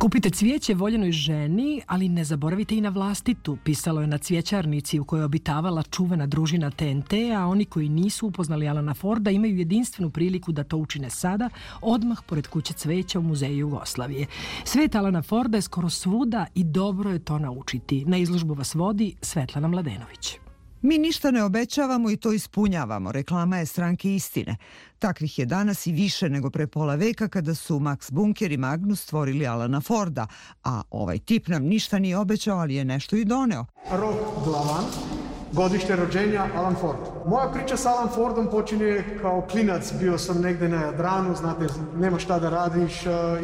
Kupite cvijeće voljenoj ženi, ali ne zaboravite i na vlastitu, pisalo je na cvijećarnici u kojoj je obitavala čuvena družina TNT, a oni koji nisu upoznali Alana Forda imaju jedinstvenu priliku da to učine sada, odmah pored kuće cveća u Muzeju Jugoslavije. Svet Alana Forda je skoro svuda i dobro je to naučiti. Na izložbu vas vodi Svetlana Mladenović. Mi ništa ne obećavamo i to ispunjavamo, reklama je Stranke istine. Takvih je danas i više nego pre pola veka kada su Max Bunker i Magnus stvorili Alana Forda, a ovaj tip nam ništa nije obećao, ali je nešto i doneo. Rok Glavan, godište rođenja Alan Ford. Moja priča s Alan Fordom počinje kao klinac. Bio sam negde na Jadranu, znate, nema šta da radiš,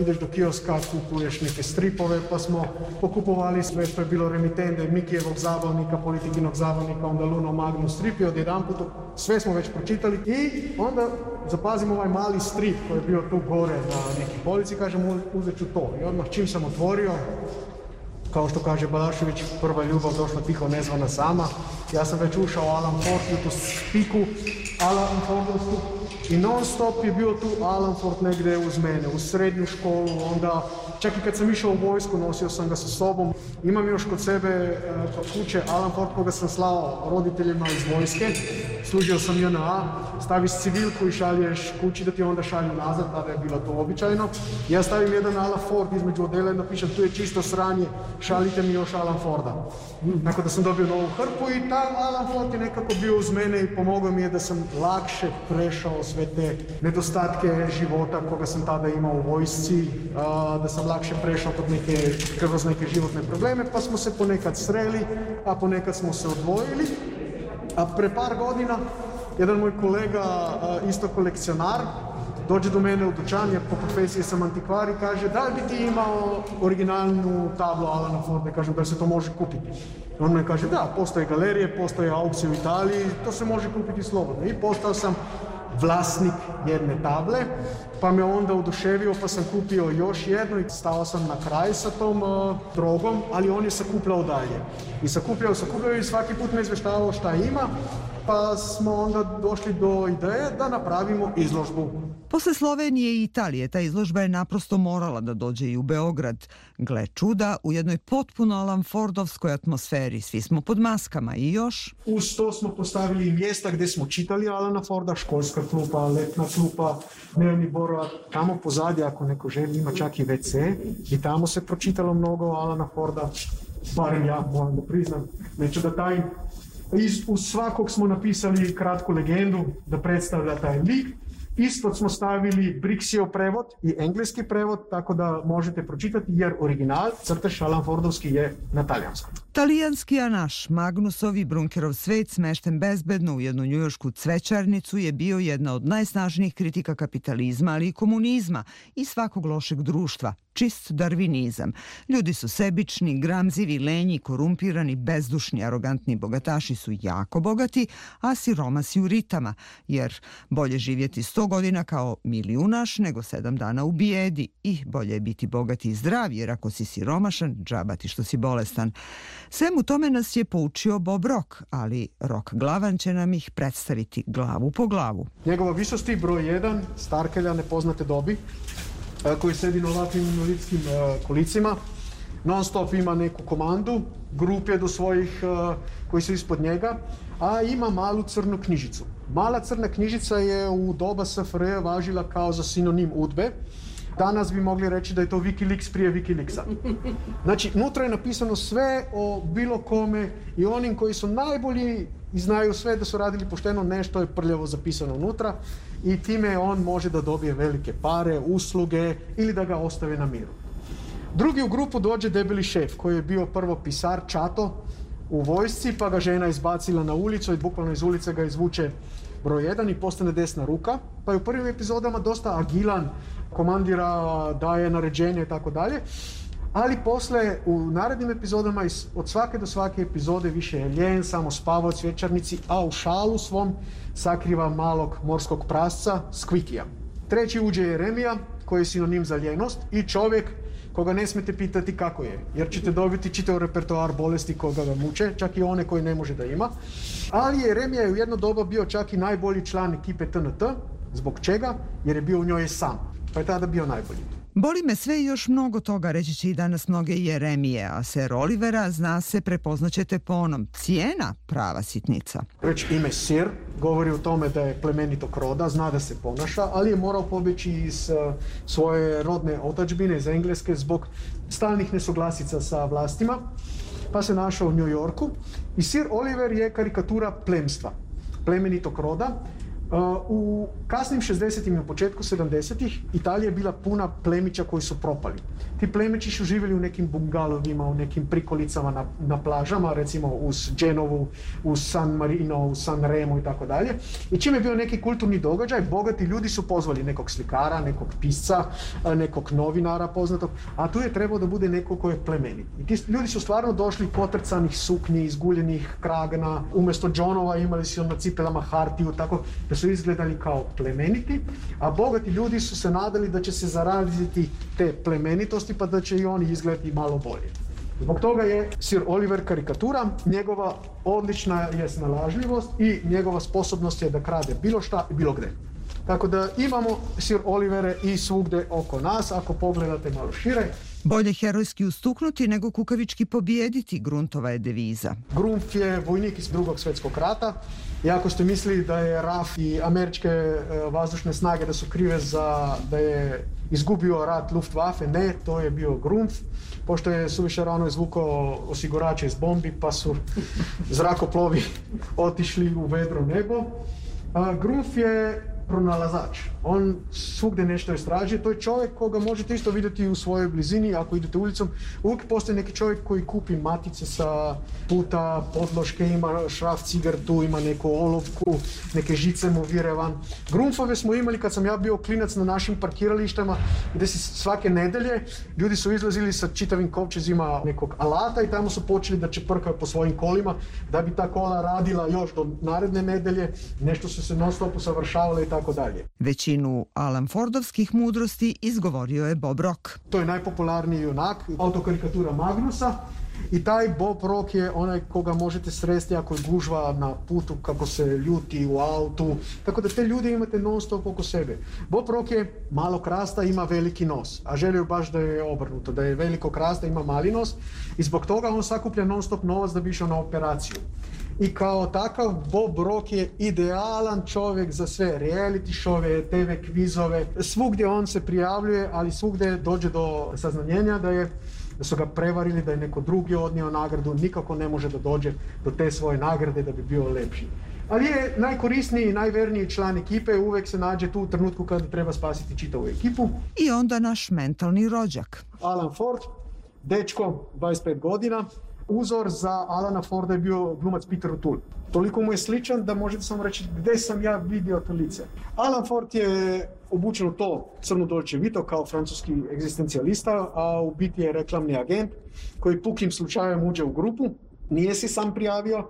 ideš do kioska, kupuješ neke stripove, pa smo pokupovali sve što je bilo remitende, Mikijevog zabavnika, Politikinog zabavnika, onda Luno Magnus strip i odjedanput sve smo već pročitali i onda zapazim ovaj mali strip koji je bio tu gore na neki polici, kažem uzet ću to. I odmah čim sam otvorio, kao što kaže Balašević, prva ljubav došla tiho nezvana sama. Ja sam već ušao u Alan Ford, u tu spiku Alan Fordovsku i non stop je bio tu Alan Ford negdje uz mene, u srednju školu, onda čak i kad sam išao u vojsku nosio sam ga sa sobom. Imam još kod sebe kod kuće Alan Ford koga sam slao roditeljima iz vojske, služio sam JNA, staviš civilku i šalješ kući da ti onda šalju nazad, tada je bilo to običajno. Ja stavim jedan Alan Ford između odela i napišem tu je čisto sranje, šalite mi još Alan Forda. Tako da sam dobio novu hrpu i taj Alan Ford je nekako bio uz mene i pomogao mi je da sam lakše prešao sve te nedostatke života koga sam tada imao u vojsci, da sam lakše prešao kroz neke životne probleme, pa smo se ponekad sreli, a ponekad smo se odvojili. A pre par godina jedan moj kolega, isto kolekcionar, dođe do mene u dućan, jer po profesiji sam antikvar i kaže da li bi ti imao originalnu tablu Alana Forda, kažem da se to može kupiti. On me kaže da, postoje galerije, postoje aukcije u Italiji, to se može kupiti slobodno. I postao sam vlasnik jedne table, pa me onda oduševio, pa sam kupio još jednu i stao sam na kraj sa tom drogom, ali on je sakupljao dalje. I sakupljao i svaki put me izveštavao šta ima, pa smo onda došli do ideje da napravimo izložbu. Posle Slovenije i Italije ta izložba je naprosto morala da dođe i u Beograd. Gle čuda, u jednoj potpuno Alan Fordovskoj atmosferi, svi smo pod maskama i još... Uz to smo postavili mjesta gdje smo čitali Alana Forda, školska klupa, letna klupa, dnevni boravak. Tamo pozadje, ako neko želi, ima čak i WC i tamo se pročitalo mnogo Alana Forda, barem ja moram da priznam, neću da tajim. Uz svakog smo napisali kratku legendu da predstavlja taj lik. Ispod smo stavili Brixijev prevod i engleski prevod, tako da možete pročitati jer original, crtež Alan Fordovski je na talijanskom. Talijanski, a naš Magnusov i Bunkerov svet smešten bezbedno u jednu njujoršku cvećarnicu je bio jedna od najsnažnijih kritika kapitalizma, ali i komunizma i svakog lošeg društva. Čist darvinizam. Ljudi su sebični, gramzivi, lenji, korumpirani, bezdušni, arogantni bogataši su jako bogati, a siromasi u ritama, jer bolje živjeti 100 godina kao milijunaš nego 7 dana u bijedi i bolje je biti bogati i zdrav, jer ako si siromašan, džaba ti što si bolestan. Svemu tome nas je poučio Bob Rock, ali Rock Glavan će nam ih predstaviti glavu po glavu. Njegova visosti broj 1, starkelja nepoznate dobi, koji sedi na ovakvim invalidskim kolicima. Non stop ima neku komandu, grup je do svojih koji su ispod njega, a ima malu crnu knjižicu. Mala crna knjižica je u doba SFRJ važila kao za sinonim UDBE. Danas bi mogli reći da je to Wikileaks prije Wikileaksa. Znači, unutra je napisano sve o bilo kome i onim koji su najbolji i znaju sve da su radili pošteno, nešto je prljavo zapisano unutra i time on može da dobije velike pare, usluge ili da ga ostave na miru. Drugi u grupu dođe debeli šef koji je bio prvo pisar Čato u vojsci, pa ga žena izbacila na ulicu i bukvalno iz ulice ga izvuče broj 1 i postane desna ruka, pa je u prvim epizodama dosta agilan, komandira, daje naređenje i tako dalje, ali posle u narednim epizodama od svake do svake epizode više je ljen, samo spava u cvjećarnici, a u šalu svom sakriva malog morskog prasca Skvikija. Treći uđe Jeremija koji je sinonim za ljenost i čovjek koga ne smete pitati kako je, jer ćete dobiti čitav repertoar bolesti koga ga muče, čak i one koje ne može da ima. Ali Jeremija je u jedno doba bio čak i najbolji član ekipe TNT. Zbog čega? Jer je bio u njoj sam, pa je tada bio najbolji. Boli me sve i još mnogo toga, reći će i danas mnoge Jeremije, a Sir Olivera, zna se, prepoznaćete po onom, cijena prava sitnica. Već ime Sir govori o tome da je plemenitog roda, zna da se ponaša, ali je morao pobjeći iz svoje rodne otadžbine iz Engleske zbog stalnih nesuglasica sa vlastima, pa se našao u New Yorku. I Sir Oliver je karikatura plemstva, plemenitog roda. U kasnim 60-im i na početku 70-ih Italija je bila puna plemića koji su propali. Ti plemići su živjeli u nekim bungalovima, u nekim prikolicama na plažama, recimo uz Genovu, uz San Marino, uz San Remo i tako dalje. I čim je bio neki kulturni događaj, bogati ljudi su pozvali nekog slikara, nekog pisca, nekog novinara poznatog, a tu je trebao da bude neko ko je plemenit. I ti ljudi su stvarno došli potrcanih suknji, izguljenih kragana, umjesto džonova imali su na cipelama hartiju, tako da su izgledali kao plemeniti, a bogati ljudi su se nadali da će se zaraziti te plemenitosti pa da će i oni izgledati malo bolje. Zbog toga je Sir Oliver karikatura, njegova odlična je snalažljivost i njegova sposobnost je da krade bilo šta i bilo gde. Tako da imamo Sir Olivere i svugde oko nas, ako pogledate malo šire. Bolje herojski ustuknuti nego kukavički pobijediti, Gruntova je deviza. Grunt je vojnik iz Drugog svjetskog rata. I ako ste mislili da je RAF i američke vazdušne snage da su krive za da je izgubio rat Luftwaffe, ne, to je bio Grunt. Pošto je suviše rano izvukao osigurače iz bombi, pa su zrakoplovi otišli u vedro nebo. Grunt je pronalazač. On svugde nešto istražuje. To je čovjek koga možete isto vidjeti u svojoj blizini. Ako idete ulicom, uvijek postoji neki čovjek koji kupi matice sa puta, podloške, ima šraf cigartu, ima neku olovku, neke žice mu vire van. Grunfove smo imali kad sam ja bio klinac na našim parkiralištama, gdje se svake nedelje ljudi su izlazili sa čitavim kovčezima nekog alata i tamo su počeli da čeprkaju po svojim kolima, da bi ta kola radila još do naredne nedelje. Nešto su se non stop usavršavale i tako dalje. Većinu Alan Fordovskih mudrosti izgovorio je Bob Rock. To je najpopularniji junak, autokarikatura Magnusa. I taj Bob Rock je onaj koga možete sresti ako je gužva na putu, kako se ljuti u autu. Tako da te ljude imate non stop oko sebe. Bob Rock je malo krasta, ima veliki nos. A želio baš da je obrnuto, da je veliko krasta, ima mali nos. I zbog toga on sakuplja non stop novac da bi išao na operaciju. I kao takav Bob Rock je idealan čovjek za sve reality šove, TV kvizove. Svugdje on se prijavljuje, ali svugdje dođe do saznanjenja da su ga prevarili, da je neko drugi odnio nagradu, nikako ne može da dođe do te svoje nagrade da bi bio lepši. Ali je najkorisniji i najverniji član ekipe, uvek se nađe tu u trenutku kada treba spasiti čitavu ekipu. I onda naš mentalni rođak. Alan Ford, dečko, 25 godina. Uzor za Alana Forda je bio glumac Peter O'Toole. Toliko mu je sličan da možete samo reći gdje sam ja vidio to lice. Alan Ford je obučen u to crno Dolce Vito kao francuski egzistencijalista, a u biti je reklamni agent koji pukim slučajem uđe u grupu, nije se sam prijavio,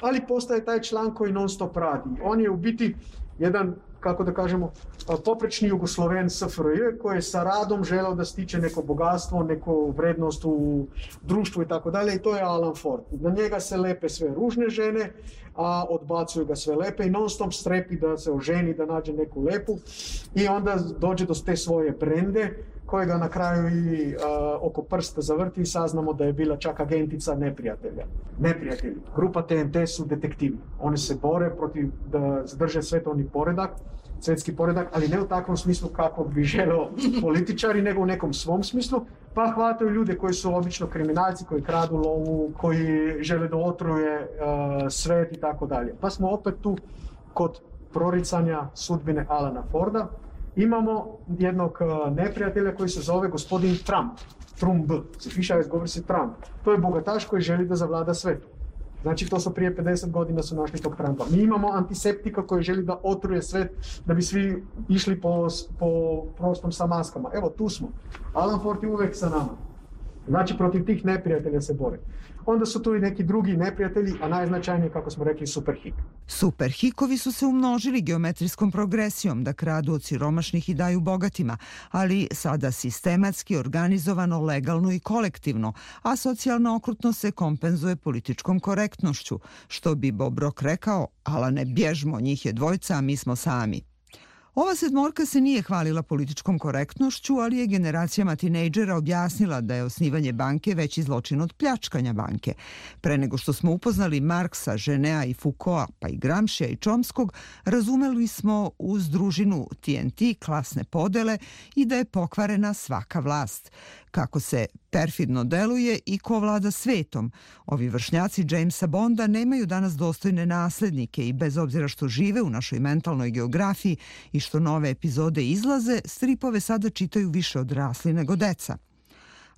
ali postaje taj član koji non stop radi. On je u biti jedan, kako da kažemo, poprečni Jugosloven SFRJ koji je sa radom želeo da stiče neko bogatstvo, neku vrednost u društvu i tako dalje, i to je Alan Ford. Na njega se lepe sve ružne žene, a odbacuju ga sve lepe i non stop strepi da se oženi, da nađe neku lepu i onda dođe do te svoje brende koje ga na kraju i oko prsta zavrti i saznamo da je bila čak agentica neprijatelja. Neprijatelji. Grupa TNT su detektivi. Oni se bore protiv da zadrže svjetski poredak, ali ne u takvom smislu kako bi želeo političari, nego u nekom svom smislu, pa hvataju ljude koji su obično kriminalci, koji kradu lovu, koji žele da otruje svet i tako dalje. Pa smo opet tu kod proricanja sudbine Alana Forda. Imamo jednog neprijatelja koji se zove gospodin Trump. Se piše, govori se Trump. To je bogataš koji želi da zavlada svetu. Znači, to su prije 50 godina su našli tog Trumpa. Mi imamo antiseptika koji želi da otruje svet, da bi svi išli po prostom sa maskama. Evo, tu smo. Alan Ford je uvek sa nama. Znači, protiv tih neprijatelja se bore. Onda su tu i neki drugi neprijatelji, a najznačajniji, kako smo rekli, Superhik. Superhikovi su se umnožili geometrijskom progresijom da kradu od siromašnih i daju bogatima, ali sada sistematski, organizovano, legalno i kolektivno, a socijalna okrutnost se kompenzuje političkom korektnošću. Što bi Bob Rock rekao, Alane, bježmo, njih je dvojca, a mi smo sami. Ova sedmorka se nije hvalila političkom korektnošću, ali je generacijama tinejdžera objasnila da je osnivanje banke veći zločin od pljačkanja banke. Pre nego što smo upoznali Marksa, Ženea i Foucaulta, pa i Gramscija i Chomskog, razumeli smo uz družinu TNT klasne podele i da je pokvarena svaka vlast. Kako se perfidno deluje i ko vlada svetom. Ovi vršnjaci Jamesa Bonda nemaju danas dostojne naslednike i bez obzira što žive u našoj mentalnoj geografiji i što nove epizode izlaze, stripove sada čitaju više odrasli nego deca.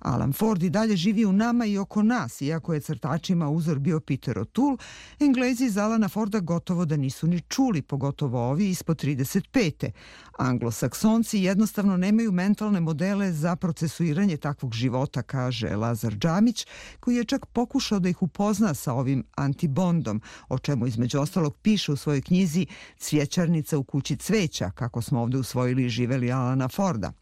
Alan Ford i dalje živi u nama i oko nas, iako je crtačima uzor bio Peter O'Toole, Englezi iz Alana Forda gotovo da nisu ni čuli, pogotovo ovi ispod 35. Anglosaksonci jednostavno nemaju mentalne modele za procesuiranje takvog života, kaže Lazar Džamić, koji je čak pokušao da ih upozna sa ovim antibondom, o čemu između ostalog piše u svojoj knjizi Cvjećarnica u kući cveća, kako smo ovde usvojili i živeli Alana Forda.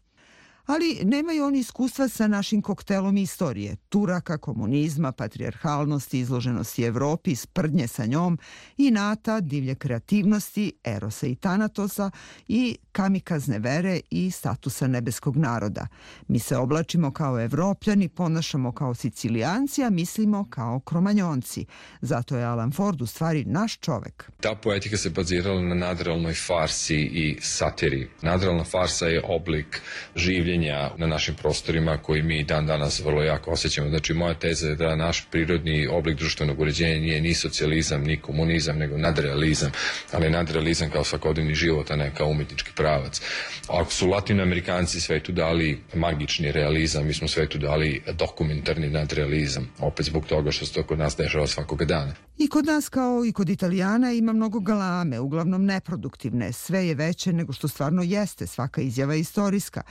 Ali nemaju oni iskustva sa našim koktelom istorije, Turaka, komunizma, patrijarhalnosti, izloženosti Evropi, sprdnje sa njom, inata, divlje kreativnosti, erosa i tanatosa i kamikazne vere i statusa nebeskog naroda. Mi se oblačimo kao Evropljani, ponašamo kao Sicilijanci, a mislimo kao Kromanjonci. Zato je Alan Ford u stvari naš čovek. Ta poetika se bazirala na nadrealnoj farsi i satiri. Nadrealna farsa je oblik življenja na našim prostorima koji mi dan danas vrlo jako osjećamo. Znači, moja teza je da naš prirodni oblik društvenog uređenja nije ni socijalizam, ni komunizam, nego nadrealizam. Ali nadrealizam kao svakodnevni život, a ne kao umetnički pravac. Ako su Latinoamerikanci svetu dali magični realizam, mi smo svetu dali dokumentarni nadrealizam. Opet zbog toga što se to kod nas dešava svakoga dana. I kod nas kao i kod Italijana ima mnogo galame, uglavnom neproduktivne. Sve je veće nego što stvarno jeste, svaka izjava je istorijska.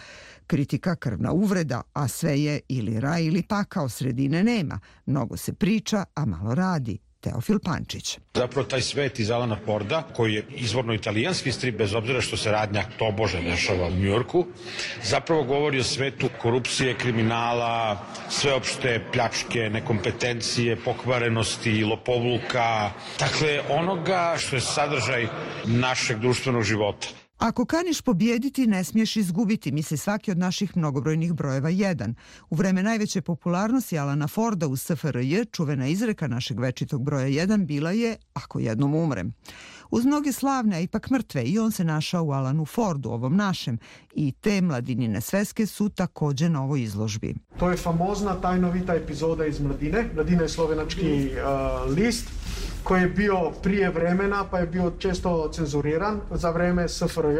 Kritika krvna uvreda, a sve je ili raj ili pakao, sredine nema. Mnogo se priča, a malo radi. Teofil Pančić. Zapravo taj svet iz Alana Forda, koji je izvorno italijanski strip, bez obzira što se radnja tobože dešava u Njujorku, zapravo govori o svetu korupcije, kriminala, sveopšte pljačke, nekompetencije, pokvarenosti, lopovluka, dakle onoga što je sadržaj našeg društvenog života. Ako kaniš pobijediti, ne smiješ izgubiti, misli svaki od naših mnogobrojnih brojeva 1. U vreme najveće popularnosti Alana Forda u SFRJ, čuvena izreka našeg večitog broja 1 bila je "Ako jednom umrem". Uz mnoge slavne, a ipak mrtve, i on se našao u Alanu Fordu, ovom našem, i te mladinine sveske su takođe na ovoj izložbi. To je famozna tajnovita epizoda iz Mladine. Mladina je slovenački list koji je bio prije vremena, pa je bio često cenzuriran za vreme SFRJ.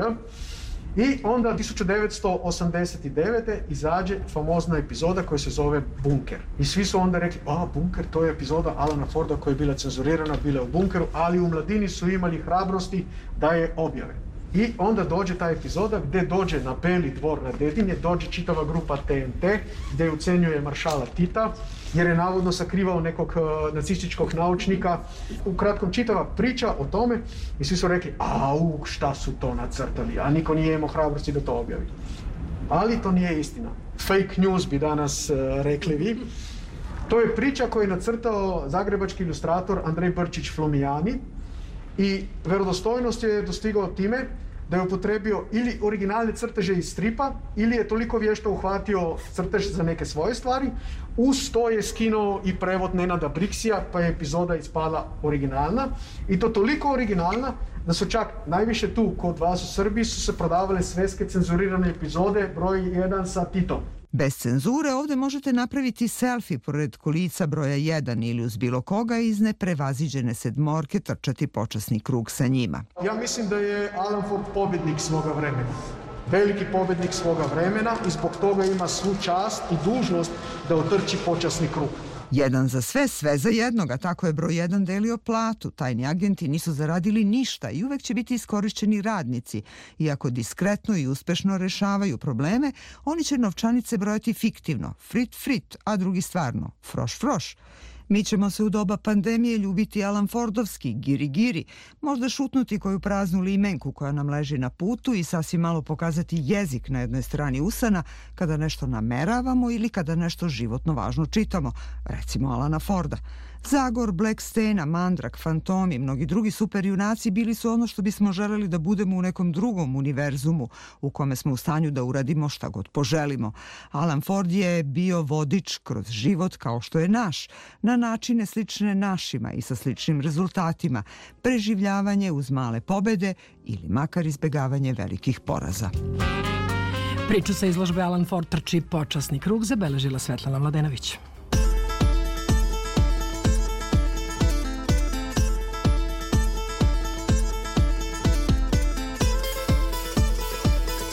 I onda 1989. izađe famozna epizoda koja se zove Bunker. I svi su onda rekli, Bunker, to je epizoda Alana Forda koja je bila cenzurirana, bila u bunkeru, ali u Mladini su imali hrabrosti da je objave. I onda dođe ta epizoda gdje dođe na Beli dvor na Dedinje, dođe čitava grupa TNT gdje ucenjuje maršala Tita jer je navodno sakrivao nekog nacističkog naučnika. Ukratko čitava priča o tome i svi su rekli, šta su to nacrtali, a niko nije imao hrabrosti da to objavi. Ali to nije istina. Fake news bi danas rekli vi. To je priča koju je nacrtao zagrebački ilustrator Andrej Brčić Flumijani. I verodostojnost je dostigao time da je upotrebio ili originalne crteže iz stripa ili je toliko vješto uhvatio crtež za neke svoje stvari. Uz to je skinuo i prevod Nenada Briksija, pa je epizoda ispala originalna. I to toliko originalna da su čak najviše tu kod vas u Srbiji su se prodavale sveske cenzurirane epizode broj 1 sa Titom. Bez cenzure ovde možete napraviti selfie pored kolica broja 1 ili uz bilo koga iz neprevaziđene sedmorke trčati počasni krug sa njima. Ja mislim da je Alan Ford pobjednik svoga vremena. Veliki pobjednik svoga vremena i zbog toga ima svu čast i dužnost da otrči počasni krug. Jedan za sve, sve za jednoga, tako je broj 1 delio platu. Tajni agenti nisu zaradili ništa i uvek će biti iskorišćeni radnici. Iako diskretno i uspešno rešavaju probleme, oni će novčanice brojati fiktivno, frit, a drugi stvarno, froš. Mi ćemo se u doba pandemije ljubiti Alan Fordovski, giri, možda šutnuti koju praznu limenku koja nam leži na putu i sasvim malo pokazati jezik na jednoj strani usana kada nešto nameravamo ili kada nešto životno važno čitamo, recimo Alana Forda. Zagor, Black Stena, Mandrak, Fantom i mnogi drugi superjunaci bili su ono što bismo želeli da budemo u nekom drugom univerzumu u kome smo u stanju da uradimo šta god poželimo. Alan Ford je bio vodič kroz život kao što je naš, na načine slične našima i sa sličnim rezultatima, preživljavanje uz male pobede ili makar izbegavanje velikih poraza. Priču sa izložbe Alan Ford trči počasni krug zabeležila Svetlana Mladenović.